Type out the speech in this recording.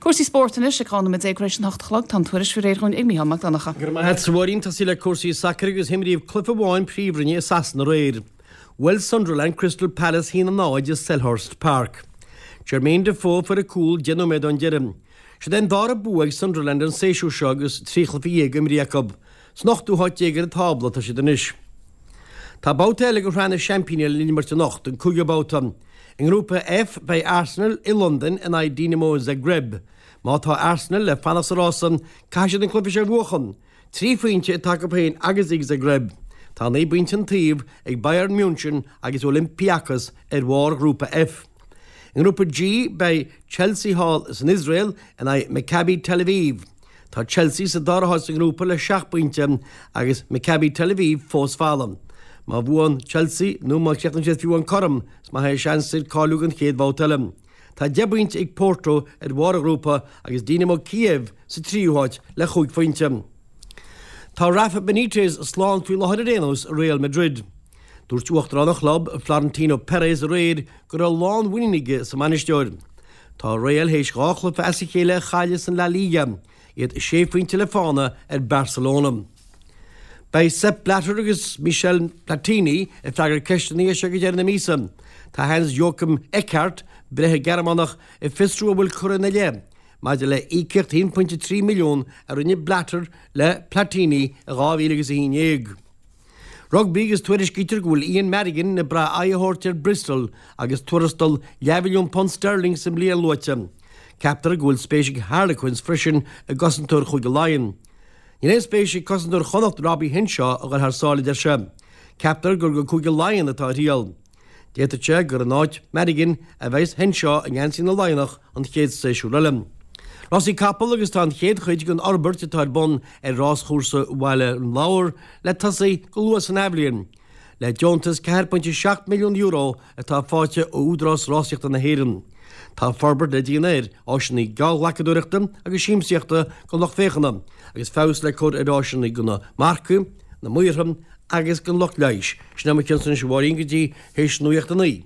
Cúrsaí spóirt anois ag 12 nóiméad tar éis an 8 a chlog. Tá an tuairisc faoi réir dhúinn ag Mícheál Mac Donncha. Go raibh maith agat, a Mháirín. Tosaí le cúrsaí sacair agus himríodh cluiche amháin Príomhroinne i Sasana aréir. Bhuail Sunderland Crystal Palace 1-0 i Selhurst Park. Jermain Defoe a fuair an cúl 10 nóiméad ón deireadh. Siod é an dara bua ag Sunderland an séasúr seo agus 13 chluiche imrithe acu. San ochtú háit déag ar an tábla atá siad anois. Tá babhta eile de Shraith na Seaimpíní le n-imirt anocht, an cúigiú babhta. I nGrúpa F, beidh Arsenal i Londain in aghaidh Dinamo Zagreb. Má tá Arsenal le fanacht sa rása, caithfidh siad an cluiche seo a bhuachan. Trí phointe atá acu féin agus ag Zagreb. Tá 9 bpointe an taobh ag Bayern München agus Olympiacos ar bharr Ghrúpa F. I nGrúpa G, beidh Chelsea thall san Iosrael in aghaidh Maccabi Tel Aviv. Tá Chelsea sa dara háit sa ngrúpa le seacht bpointe agus Maccabi Tel Aviv fós folamh. Má bhuann Chelsea, nó má chríochnaíonn siad fiú amháin cothrom, is maith é a seans ar cáiliú don chéad bhabhta eile. Tá 10 bpointe ag Porto ar bharr an ghrúpa agus Dinamo Kiev sa tríú háit le chúig phointe. Tá Rafa Benitez slán faoi láthair ar aon nós i Real Madrid. Dúirt uachtarán an chlub, Florentino Perez aréir go raibh lánmhuinín aige sa mbainisteoir. Tá Real théis dhá chluiche as a chéile a chailleadh san La Liga, iad sé phointe le fána ar Barcelona. Beidh Sepp Blatter agus Michel Platini ag freagairt ceisteanna as seo go deireadh na míosa. Tá Hans-Joachim Eckart, breitheamh Gearmánach, ag fiosrú an bhfuil curtha ina leith maidir le íocaíocht 1.3 milliún a rinne Blatter le Platini i 2011. Rugbaí agus tuairiscítear go bhfuil Ian Madigan ag brath aghaidh a thabhairt ar Bristol agus tuarastal leathmhilliún punt sterling sa mbliain luaite. Ceaptar go bhfuil spéis ag Harlequins freisin i gcosantóir Chúige Laighean. Níl aon spéis ag cosantóir Chonnacht Robbie Henshaw a dhul thar sáile a deir sé. Ceaptar gur go Cúige Laighean atá a thriall. D'fhéadfadh sé gur in áit Madigan a bheas Henshaw i ngeansaí na Laighneach an chéad séasúr eile. Rásaí capall agus tá an chéad chuid den fhorbairt atá ar bun ar ráschúrsa Bhaile an Lobhar le tosaí go luath san athbhliain, le deontas €4.7 milliún atá faighte ó Údarás Rásaíochta na hÉireann. Tá forbairt le déanamh ar áiseanna geallghlacadóireachta agus siamsaíochta don lucht féachana agus feabhas le cur ar áiseanna do na marcaigh, na maortha agus don lucht leighis. Sin é mo chionn-sa anois a Mháirín go dtí théis nuacht a 9.